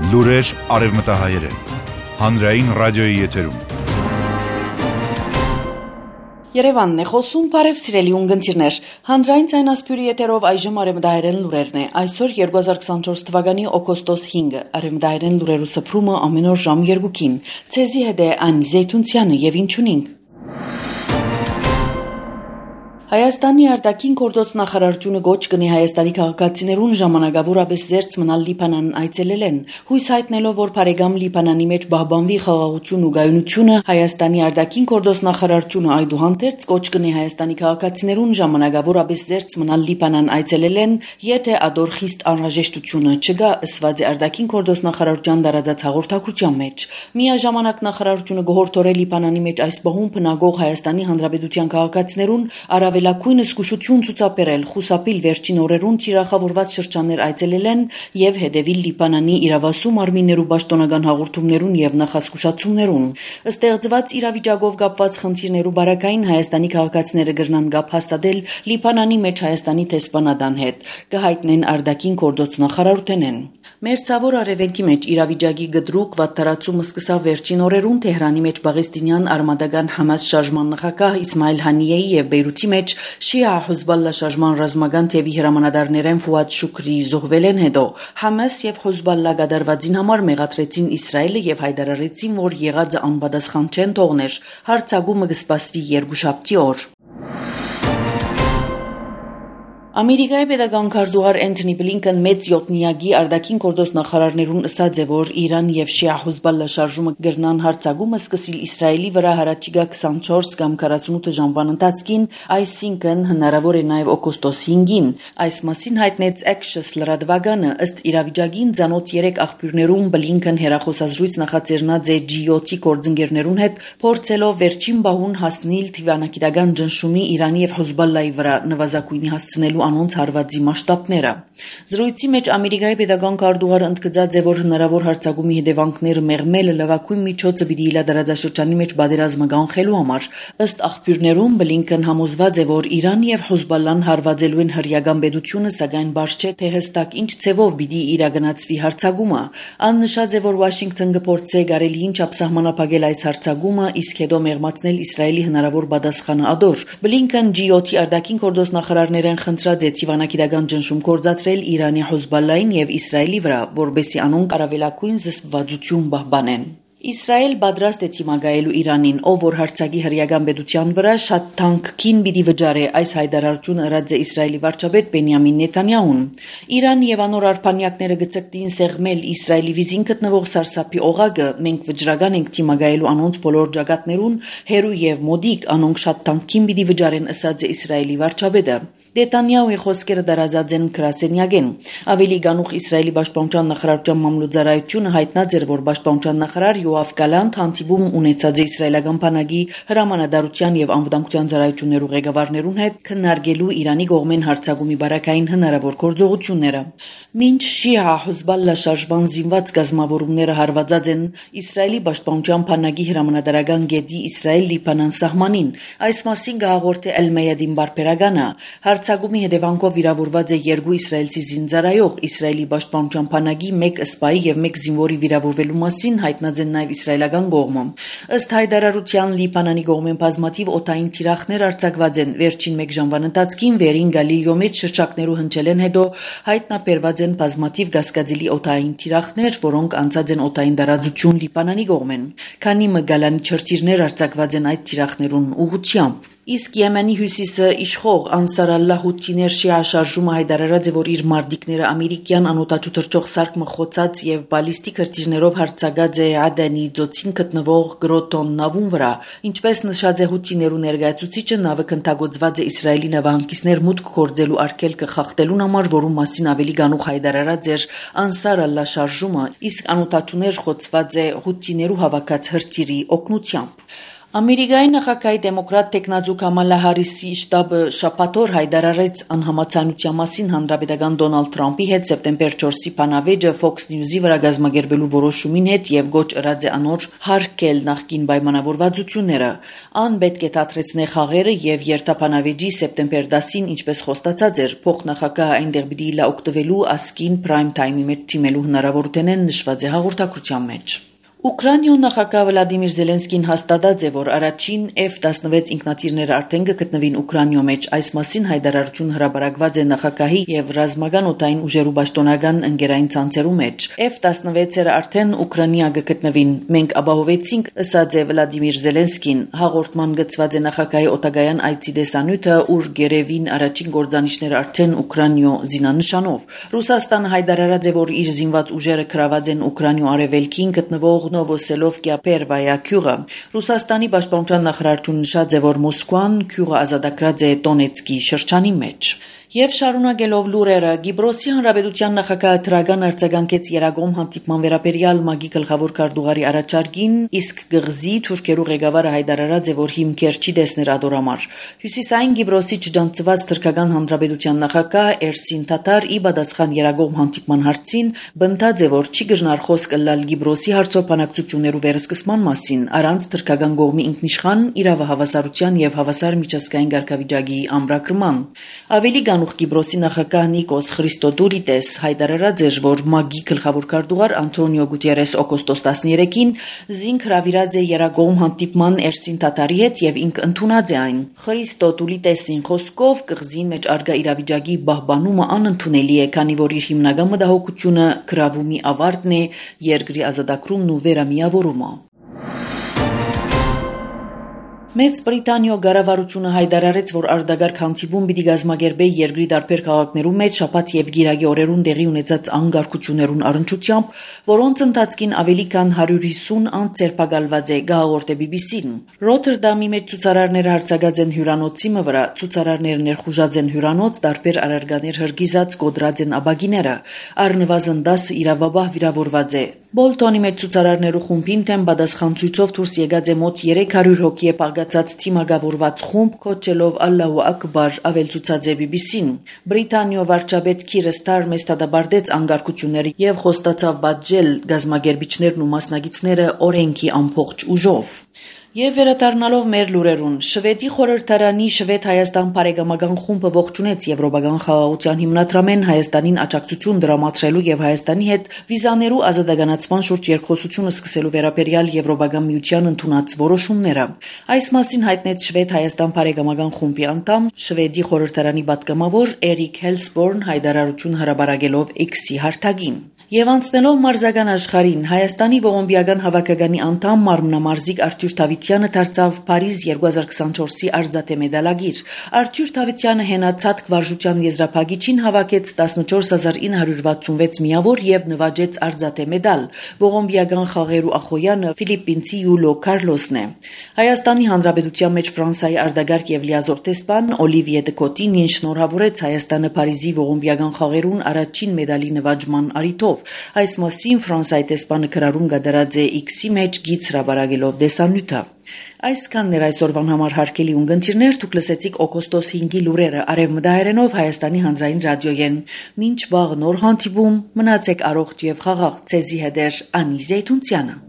Լուրեր արևմտահայերեն, հանրային ռադիոյի եթերում։ Երևանն է խոսում, բարև սիրելի ունգընտիրներ, հանրային ցայնասպյուրի եթերով այժմ արևմտահայերեն լուրերն է, այսօր 2024 թվականի օգոստոս 5-ը, արևմտահայերեն լուրերու սփռումը ամեն օր ժամ 2-ին, ցեզի հետ է Անի Զեյթունցյանը եւ ինչունինք։ Հայաստանի արտաքին գործոց նախարարությունը գոչ կնի Հայաստանի քաղաքացիներուն ժամանակավորապես զերծ մնալ Լիբանան այցելելեն, հույս հայտնելով, որ բարեկամ Լիբանանի մեջ բահբանվի խաղաղություն ու գայունությունը, Հայաստանի արտաքին գործոց նախարարությունը այդուհանդերձ գոչ կնի Հայաստանի քաղաքացիներուն ժամանակավորապես զերծ մնալ Լիբանան այցելելեն, եթե ադոր խիստ անհրաժեշտությունը չգա, ըսված է արտաքին գործոց նախարարության դարաձած հաղորդակցության մեջ։ Միաժամանակ նախարարությունը գոհորտորել Լիբանանի մեջ այս բահում բնակող Հայաստանի Հանրապետության քաղաքացիներուն Լակույն զգուշություն ցուցաբերել, խուսափիլ վերջին օրերուն թիրախավորված շրջաններ այցելելեն եւ հետևիլ Լիբանանի իրավասու մարմիններու պաշտոնական հաղորդումներուն եւ նախազգուշացումներուն։ Ստեղծված իրավիճակով կապված խնդիրներու բարակային Հայաստանի քաղաքացիները կրնան գապ հաստատել Լիբանանի մեջ Հայաստանի տեսփանադան հետ, կհայտնեն արտաքին գործոց նախարարութենեն։ Մերձավոր արևելքի մեջ իրավիճակի գդրուկ վատթարացումը սկսավ վերջին օրերուն Թեհրանի մեջ Պաղեստինյան արմատական Համաս շարժման նախագահ Իսմայել Հանիեի եւ Բեյրութի մեջ Շիա Հեզբոլլա շարժման ռազմական թևի հրամանատարներեն Ֆուադ Շուքրի զոհվելեն հետո Համաս եւ Հեզբոլլա գդարվածին համար մեղադրեցին Իսրայելը եւ հայտարարեցին, որ եղածը անպատասխան չեն թողներ։ Հարցակումը կսպասվի երկուշաբթի օր։ Ամերիկայի պետական քարտուղար Անթոնի Բլինքեն մեծ յոթնիագի արտաքին գործոց նախարարներուն ըսած է, որ Իրան եւ Շիա Հեզբոլլա շարժումը գրնան հարցակումը սկսիլ Իսրայելի վրա հարաճիգա 24 կամ 48 ժամվան ընթացքին, այսինքն հնարավոր է նաեւ օգոստոս 5-ին։ Այս մասին հայտնեց Axios լրատվականը, ըստ իրավիճակին ցանոթ 3 աղբյուրներում Բլինքեն հերախոսազրույց նախաձեռնած է G7-ի գործընկերներուն հետ, փորձելով վերջին բահուն հասնել թիվանագիտական ճնշումի Իրանի եւ Հեզբոլլայի վրա նվազագույնի հասցնելու անոնց հարվածի մասշտաբները։ Զրույցի մեջ Ամերիկայի պետական քարտուղարը ընդգծած է, որ հնարավոր հարցակումի հետևանքները մեղմելը լավագույն միջոցը պիտի իլադարաձաշրջանի մեջ պատերազմը կանխելու համար։ Ըստ աղբյուրներում Բլինքեն համոզված է, որ Իրան եւ Հեզբոլլան հարվածելու են հրեական պետությունը, սակայն բարձ չէ, թե հստակ ինչ ցևով պիտի իրագնացվի հարցակումը։ Ան նշած է, որ Վաշինգտոն կփորձի գարելին չափ սահմանափակել այս հարցակումը, իսկ հետո մեղմացնել Իսրայելի հնարավոր պատասխանը ադոր։ Բլինքեն G7-ի արտաքին գործոց նախարարներեն խնդրած է թիվանագիտական ճնշում կործացրել Իրանի Հեզբոլլային եւ Իսրայելի վրա, որբեսի անոնք առավելագույն զսպվածություն պահպանեն։ Իսրայել պատրաստ է թիմակայելու Իրանին, ով որ հարցակի հրեական պետության վրա շատ թանկքին պիտի վճարի, այս հայտարարությունը ըրած է Իսրայելի վարչապետ Բենյամին Նեթանյահուն։ Իրան եւ անոր արբանյակները գծկտին սեղմել Իսրայելի վիզին գտնվող սարսափի օղակը, մենք վճռական ենք թիմակայելու անոնց բոլոր ջագատներուն, հերու եւ մոդիկ, անոնք շատ թանկքին պիտի վճարեն, ըսած է Իսրայելի վարչապետը։ Նեթանյահուի խոսքերը դարաձած են գրասենյակեն։ Ավելի գանուխ Իսրայելի պաշտպանության նախարարության մամլոյցարայությունը հայտնած էր, որ պաշտպանության նախարար Յոավ Գալանտ հանդիպում ունեցած է իսրայելական բանակի հրամանատարության եւ անվտանգության ծառայություններու ղեկավարներուն հետ քննարկելու Իրանի կողմեն հարձակումի բարակային հնարավոր գործողությունները։ Մինչ Շիա Հեզբոլլա շարժման զինված գազམ་ավորումները հարվածած են Իսրայելի պաշտպանության բանակի հրամանատարական գետի Իսրայել-Լիբանան սահմանին, այս մասին գահաղորդե Էլ-Մեյադին բարբերականը։ Հարձակումի հետևանքով վիրավորված է 2 իսրայելցի զինծառայող, Իսրայելի պաշտպանության բանակի 1 սպայի եւ 1 զինվորի վիրավորվելու մասին հայտնած են նաեւ իսրայելական կողմը։ Ըստ հայտարարության Լիբանանի կողմեն բազմաթիվ օդային թիրախներ արձակված են, վերջին 1 ժամվան ընթացքին վերին Գալիլեո մեջ շրջակներու հնչելեն հետո հայտնաբերված են բազմաթիվ գասկածելի օդային թիրախներ, որոնք անցած են օդային տարածություն Լիբանանի կողմեն։ Քանի մգալանի չրտիրներ արձակված են այդ թիրախներուն ուղղությամբ։ Իսկ Եմենի հյուսիսը իշխող Անսար Ալլահ Հութիներ շիա շարժումը հայտարարած է, որ իր մարտիկները ամերիկյան անօդաչու թռչող սարք մխոցած եւ բալիստիկ հրթիռներով հարձակած է Ադենի ծոցին գտնվող Գրոտոն նավուն վրա։ Ինչպես նշած է Հութիներու ներկայացուցիչը, նավը քննագործված է Իսրայելի նավահանգիստներ մուտք գործելու արգելքը խախտելուն համար, որում մասին ավելի գանուխ հայտարարած էր Անսար Ալլահ շարժումը, իսկ անօդաչուներ խոցված է Հութիներու հավաքած հրթիռի օգնությամբ։ Ամերիկայի նախագահի դեմոկրատ տեխնազու Կամալա Հարիսի շտաբը շաբաթօր հայտարարեց անհամաձայնության մասին հանրապետական Դոնալդ Թրամփի հետ սեպտեմբեր 4-ի բանավեճը Fox News-ի վրա կազմակերպելու որոշումին հետ եւ գոչ ըրած է անոր հարկել նախկին պայմանավորվածությունները։ Ան պետք է դադրեցնե խաղերը եւ երթաբանավեճի սեպտեմբեր 10-ին, ինչպես խոստացած էր, փոխնախագահը այնտեղ պիտի լա օգտվելու ասկին prime time-ի մեջ թիմելու հնարավորությունն նշված է հաղորդակցության մեջ։ Ուկրաինայ նախագահ Վլադիմիր Զելենսկին հաստատած է, որ առաջին F-16 ինքնաթիռները արդեն կգտնվին Ուկրաինայ մեջ։ Այս մասին հայտարարություն հրապարակված է նախագահի եւ ռազմական օդային ուժերու պաշտոնական ընկերային ցանցերու մեջ։ F-16-երը արդեն Ուկրաինայ կգտնվին։ Մենք ապահովեցինք, ըսած է Վլադիմիր Զելենսկին, հաղորդման գծված է նախագահի օտագայան այցի դեսանյութը, ուր գերեվին առաջին գործանիշները արդեն Ուկրաինայ զինանշանով։ Ռուսաստանը հայտարարած է, որ իր զինված ուժերը գրաված են Ուկրաինայ արևելքին գտնվող Նովոսելովկիա Պերվայա գյուղը։ Ռուսաստանի պաշտպանության նախարարությունը նշած է, որ Մոսկվան գյուղը ազատագրած է Դոնեցկի շրջանի մեջ։ Եվ շարունակելով լուրերը, Կիպրոսի Հանրապետության նախագահը դրական արձագանքեց Երագոմ հանդիպման վերաբերյալ ՄԱԳ-ի գլխավոր քարտուղարի առաջարկին, իսկ գղզի թուրքերու ղեկավարը հայտարարած է, որ հիմքեր չի տեսներ ադորամար։ Հյուսիսային Կիպրոսի չջանցված թուրքական Հանրապետության նախագահ Էրսին Թաթար ի պատասխան Երագոմ հանդիպման հարցին բնդած է, որ չի գժնար խոսք ըլլալ Կիպրոսի հարցով բանակցություններու վերսկսման մասին, առանց թուրքական կողմի ինքնիշխան իրավահավասարության եւ հավասար միջազգային կարգավիճակի ամրագրման։ Ավելի Կիպրոսի նախագահ Նիկոս Խրիստոդուլիդես հայտարարած էր, որ ՄԱԳ-ի գլխավոր քարտուղար Անտոնիո Գուտերես օգոստոս 13-ին զինք հրավիրած է Երագոմ հանդիպման Էրսին Թաթարի հետ եւ ինք ընդունած է այն։ Խրիստոդուլիդեսին խոսքով կղզին մեջ արգա իրավիճակի պահպանումը անընդունելի է, քանի որ իր հիմնական մտահոգությունը գրավումի ավարտն է, երկրի ազատագրումն ու վերամիավորումը։ Մեծ Բրիտանիա կառավարությունը հայտարարեց, որ արտագաղթ հանդիպում պիտի կազմակերպի երկրի տարբեր քաղաքներու մեջ շաբաթ եւ գիրակի օրերուն տեղի ունեցած անկարգություններուն առնչությամբ, որոնց ընթացքին ավելի քան 150 անձ ձերբակալված է, գահորդ է BBC-ն։ Ռոթերդամի մեջ ցուցարարները հարձակած են հյուրանոցի վրա, ցուցարարները ներխուժած են հյուրանոց, տարբեր առարկաներ հրգիզած կոդրած են աբագիները, առնվազն 10 իրավաբահ վիրավորված է։ Բոլտոնի մեջ ցուցարարներու խումբին թեմ պատասխան ցույցով դուրս եկած է մոտ 300 հոգի պարգացած թիմակավորված խումբ կոչելով Ալլահու Ակբար, ավելցուցած է BBC-ն։ Բրիտանիա վարչապետ Քիր Ստարմերը ստադաբարդեց անկարգությունները եւ խոստացավ պատժել գազམ་ագերբիչներն ու մասնագետները օրենքի ամբողջ ուժով։ Եվ վերադառնալով մեր լուրերուն, Շվեդի խորհրդարանի Շվեդ-Հայաստան բարեկամական խումբը ողջունեց եվրոպական խաղաղության հիմնադրամեն Հայաստանին աջակցություն դրամատրելու եւ Հայաստանի հետ վիզաներու ազատականացման շուրջ երկխոսությունը սկսելու վերաբերյալ Եվրոպական միության ընդունած որոշումները։ Այս մասին հայտնեց Շվեդ-Հայաստան բարեկամական խումբի անդամ Շվեդի խորհրդարանի պատգամավոր Էրիկ Հելսբորն հայտարարություն հրապարակելով X-ի հարթակին։ Եվ անցնելով մարզական աշխարհին, Հայաստանի ողոմբիական հավաքականի անդամ մարմնամարզիկ Արթուր Թավիթյանը դարձավ Փարիզ 2024-ի արծաթե մեդալագիր։ Արթուր Թավիթյանը հենացած վարժության եզրափակիչին հավաքեց 14966 միավոր եւ նվաճեց արծաթե մեդալ։ Ողոմբիական խաղերու ախոյանը ֆիլիպինցի Յուլիո Կարլոսն է։ Հայաստանի Հանրապետության մեջ Ֆրանսիայի արտագաղթ եւ լիազոր տեսփան Օլիվիե Դեկոտին շնորհավորեց Հայաստանը Փարիզի ողոմբիական խաղերուն առաջին մեդալի նվաճման առիթով։ Այս մասին Ֆրանսիայի տեսփանը քրարում կդրած է X-ի մեջ գիծ հրապարակելով դեսանյութը։ Այսքանն էր այսօրվան համար հարգելի ունգընտիրներ, դուք լսեցիք օգոստոս 5-ի լուրերը արևմտահայերենով Հայաստանի հանրային ռադիոյեն։ Մինչ վաղ նոր հանդիպում, մնացեք առողջ եւ խաղաղ, ցեզի հետ Անի Զեյթունցյանը։